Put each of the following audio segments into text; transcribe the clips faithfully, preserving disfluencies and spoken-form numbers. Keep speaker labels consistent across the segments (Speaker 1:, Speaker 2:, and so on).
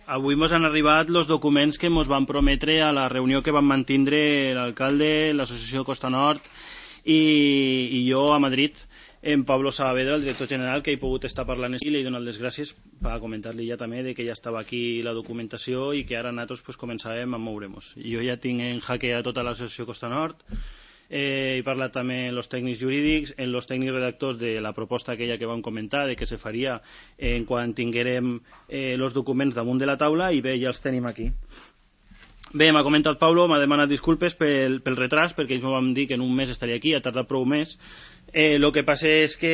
Speaker 1: avui ens han arribat els documents que ens van prometre a la reunió que van mantindre l'alcalde, l'associació Costa Nord i, i jo a Madrid, en Pablo Saavedra, el director general, que he pogut estar parlant i li he donat les gràcies per comentar-li ja també de que ja estava aquí la documentació i que ara nosaltres pues, començàvem a moure-nos. Jo ja tinc en jaque a tota l'associació Costa Nord. Eh, he parlat també amb els tècnics jurídics, amb els tècnics redactors de la proposta aquella que vam comentar de què se faria en quan tinguérem eh, els documents damunt de la taula i bé, ja els tenim aquí. Bé, m'ha comentat Pablo, m'ha demanat disculpes pel, pel retras perquè ells m'ho van dir que en un mes estaria aquí, ha tardat prou més. Eh, lo que passa és que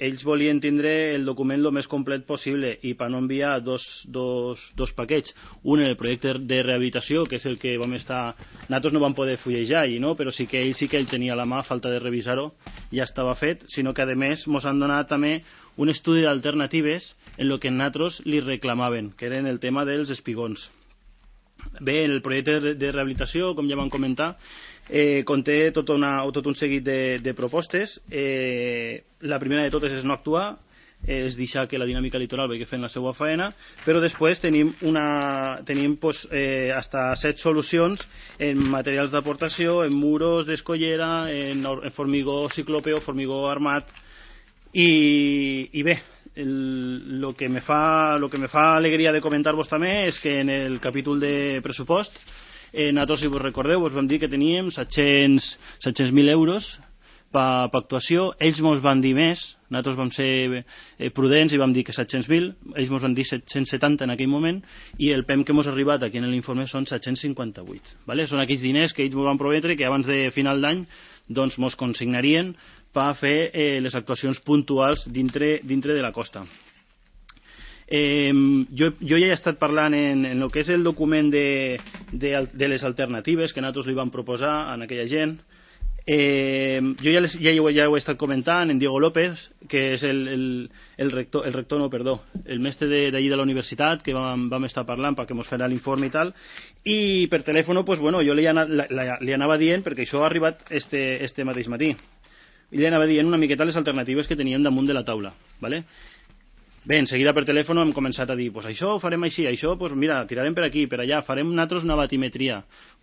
Speaker 1: ells volien tindre el document el més complet possible i per no enviar dos, dos, dos paquets, un en el projecte de rehabilitació, que és el que vam estar... Nosaltres no vam poder fullejar allí, no? Però sí que ell sí que ell tenia a la mà, a falta de revisar-ho, ja estava fet, sinó que a més ens han donat també un estudi d'alternatives en el que nosaltres li reclamaven, que eren el tema dels espigons. Bé, el projecte de rehabilitació, com ja vam comentar, eh, conté tot, una, tot un seguit de, de propostes. Eh, la primera de totes és no actuar, és deixar que la dinàmica litoral vagi fent la seva faena, però després tenim, una, tenim pues, eh, hasta set solucions en materials d'aportació, en muros d'escollera, en, en formigó ciclòpeo, formigó armat, i, i bé, el, lo, que me fa, lo que me fa alegria de comentar-vos també és que en el capítol de pressupost eh, nosaltres, si vos recordeu, vos vam dir que teníem set-cents mil euros per pa actuació. Ells mos van dir més, nosaltres vam ser eh, prudents i vam dir que set-cents mil, ells mos van dir set-cents setanta en aquell moment i el P E M que mos ha arribat aquí en l'informe són set-cents cinquanta-vuit, ¿vale? Són aquells diners que ells mos van prometre que abans de final d'any doncs mos consignarien per fer eh, les actuacions puntuals dintre, dintre de la costa. Eh, jo, jo ja he estat parlant en, en el que és el document de, de, de les alternatives que nosaltres li vam proposar a aquella gent. Eh, jo ja, les, ja, ho, ja ho he estat comentant en Diego López, que és el, el, el rector, el rector no, perdó, el mestre d'allí de, de la universitat, que vam, vam estar parlant perquè ens farà l'informe i tal, i per telèfon pues, bueno, jo li, ana, la, la, li anava dient, perquè això ha arribat este, este mateix matí, i li anava dient una miqueta les alternatives que teníem damunt de la taula, ¿vale? Bé, en seguida per telèfon hem començat a dir pues això ho farem així, això, pues mira, tirarem per aquí, per allà, farem nosaltres una batimetria,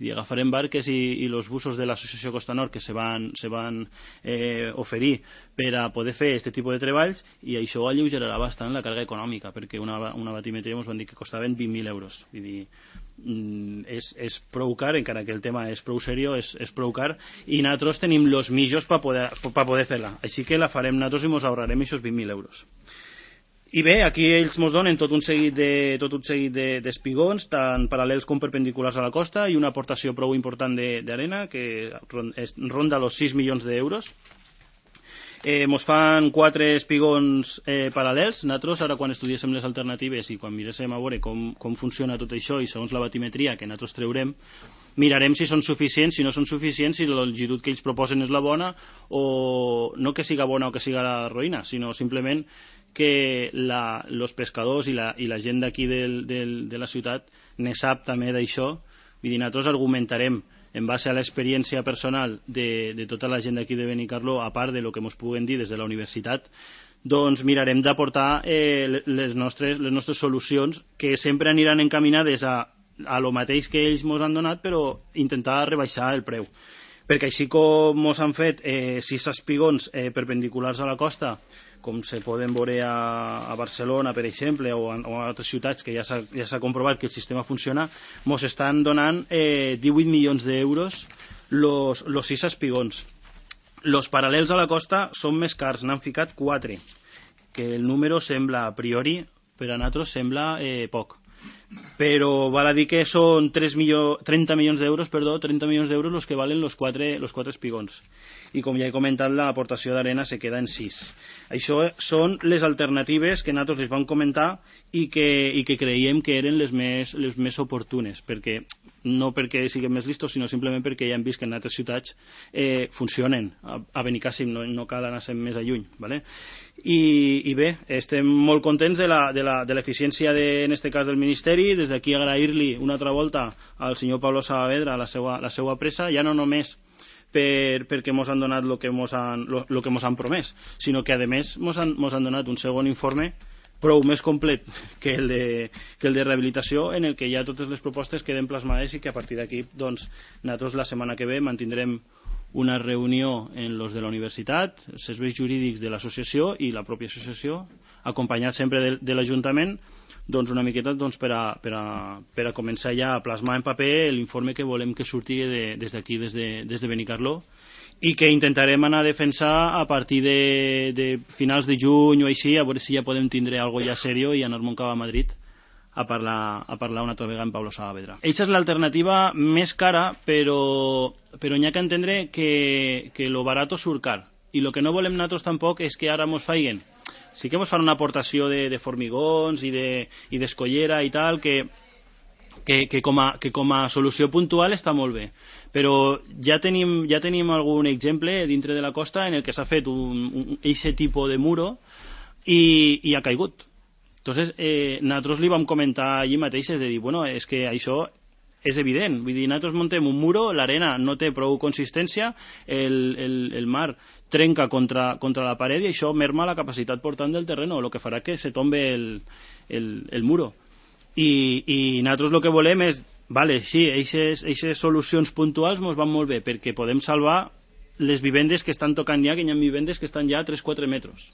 Speaker 1: i agafarem barques i, i els busos de l'associació Costa Nord que se van, se van eh, oferir per a poder fer aquest tipus de treballs i això alleugerarà bastant la càrrega econòmica perquè una, una batimetria ens van dir que costaven vint mil euros. Vull dir, mm, és, és prou car, encara que el tema és prou seriós, és, és prou car i nosaltres tenim els mitjos per poder, per poder fer-la, així que la farem nosaltres i ens ahorrarem aquests vint mil euros. I bé, aquí ells ens donen tot un seguit de, tot un seguit de, d'espigons, tant paral·lels com perpendiculars a la costa, i una aportació prou important d'arena, que ronda els sis milions d'euros. Eh, ens fan quatre espigons eh, paral·lels. Nosaltres, ara quan estudiéssim les alternatives i quan miréssim a veure com, com funciona tot això i segons la batimetria que nosaltres treurem, mirarem si són suficients, si no són suficients, si la longitud que ells proposen és la bona, o no que siga bona o que siga la roïna, sinó simplement que la, los pescadors i la, i la gent d'aquí del, del, de la ciutat ne sap també d'això. Vull dir, nosaltres argumentarem en base a l'experiència personal de, de tota la gent d'aquí de Benicarló, a part de lo que ens puguen dir des de la universitat, doncs mirarem d'aportar eh, les, nostres, les nostres solucions que sempre aniran encaminades a, a lo mateix que ells ens han donat, però intentar rebaixar el preu. Perquè així com ens han fet eh, sis espigons eh, perpendiculars a la costa, com se poden veure a, a Barcelona, per exemple, o a, o a altres ciutats que ja s'ha ja s'ha comprovat que el sistema funciona, ens estan donant eh, divuit milions d'euros los, los sis espigons. Los paral·lels a la costa són més cars, n'han ficat quatre, que el número sembla, a priori, per a nosaltres sembla eh, poc. Però val a dir que són trenta milions d'euros, perdó, trenta milions d'euros els que valen los quatre, los quatre espigons. I com ja he comentat, l'aportació d'arena se queda en sis. Això són les alternatives que nosaltres les vam comentar i que, i que creiem que eren les més, les més oportunes, perquè no perquè siguem més listos, sinó simplement perquè ja hem vist que en altres ciutats eh, funcionen. A, a Benicàssim no, no cal anar-se'n més a lluny, ¿vale? I, i bé, estem molt contents de la, de la, de l'eficiència de, en este cas del Ministeri. Des d'aquí agrair-li una altra volta al senyor Pablo Saavedra la seva, la seva pressa, ja no només per, perquè ens han donat el que ens han, lo, lo que mos han promès, sinó que a més ens han, mos han donat un segon informe prou més complet que el de, que el de rehabilitació, en el que ja totes les propostes queden plasmades i que a partir d'aquí doncs, nosaltres la setmana que ve mantindrem una reunió en los de la universitat, els serveis jurídics de l'associació i la pròpia associació, acompanyat sempre de, de l'Ajuntament, doncs una miqueta doncs, per, a, per, a, per a començar ja a plasmar en paper l'informe que volem que surti de, des d'aquí, des de, des de Benicarló, i que intentarem anar a defensar a partir de, de finals de juny o així, a veure si ja podem tindre algo ja serio i anar-me'n cap a Madrid a parlar, a parlar una altra vegada amb Pablo Saavedra. Eixa és l'alternativa més cara, però, però n'hi ha que entendre que, que lo barato surt car, i el que no volem nosaltres tampoc és que ara mos faiguen, sí que mos fan una aportació de, de formigons i d'escollera de, i tal, que Que, que, com a, que com a solució puntual està molt bé, però ja tenim, ja tenim algun exemple dintre de la costa en el que s'ha fet un, un, eixe tipus de muro i, i ha caigut. Entonces, eh, nosaltres li vam comentar allí mateix, és de dir, bueno, és que això és evident, vull dir, nosaltres muntem un muro, l'arena no té prou consistència, el, el, el mar trenca contra, contra la paret i això merma la capacitat portant del terreno, el que farà que se tombe el, el, el muro. I, i nosaltres el que volem és, vale, sí, aquestes solucions puntuals ens van molt bé perquè podem salvar les vivendes que estan tocant ja, que hi ha vivendes que estan ja a tres quatre metres,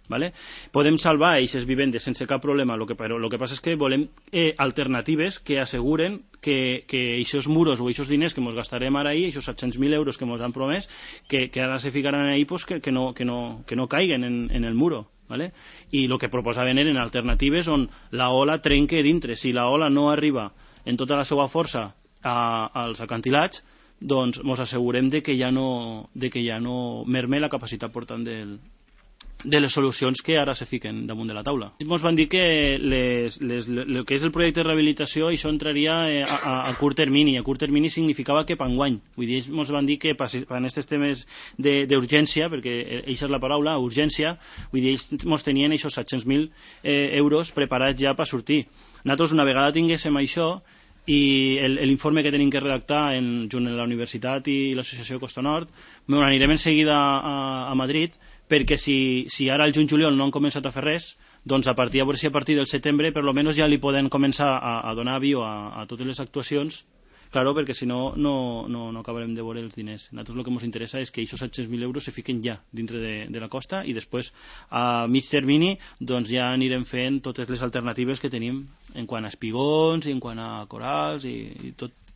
Speaker 1: vale? Podem salvar aquestes vivendes sense cap problema, lo que, però el que passa és que volem eh, alternatives que asseguren que aquests muros o aquests diners que ens gastarem ara ahir, aquests set-cents mil euros que ens han promès, que, que ara se ficaran ahí, pues, que, que, no, que, no, que no caiguen en, en el muro. ¿Vale? I el que proposaven eren alternatives on la ola trenque dintre. Si la ola no arriba en tota la seva força a, als acantilats, doncs ens assegurem de que ja no, de que ja no merme la capacitat portant del, de les solucions que ara se fiquen damunt de la taula. Ens van dir que les, les, el que és el projecte de rehabilitació això entraria a, a, a curt termini. A curt termini significava que per enguany. Vull dir, ens van dir que per aquests temes d'urgència, perquè això és la paraula, urgència, vull dir, ells ens tenien aquests set-cents mil eh, euros preparats ja per sortir. Nosaltres, una vegada tinguéssim això, i l'informe que tenim que redactar en, junt amb la universitat i l'associació Costa Nord, anirem en seguida a, a Madrid, perquè si, si ara al juny-juliol no han començat a fer res, doncs a partir, a veure si a partir del setembre per lo menos ja li poden començar a, a donar avió a, a totes les actuacions, claro, perquè si no, no, no, no acabarem de veure els diners. A nosaltres el que ens interessa és que aquests set-cents mil euros se fiquen ja dintre de, de la costa i després a mig termini doncs ja anirem fent totes les alternatives que tenim en quant a espigons i en quant a corals i, i tot,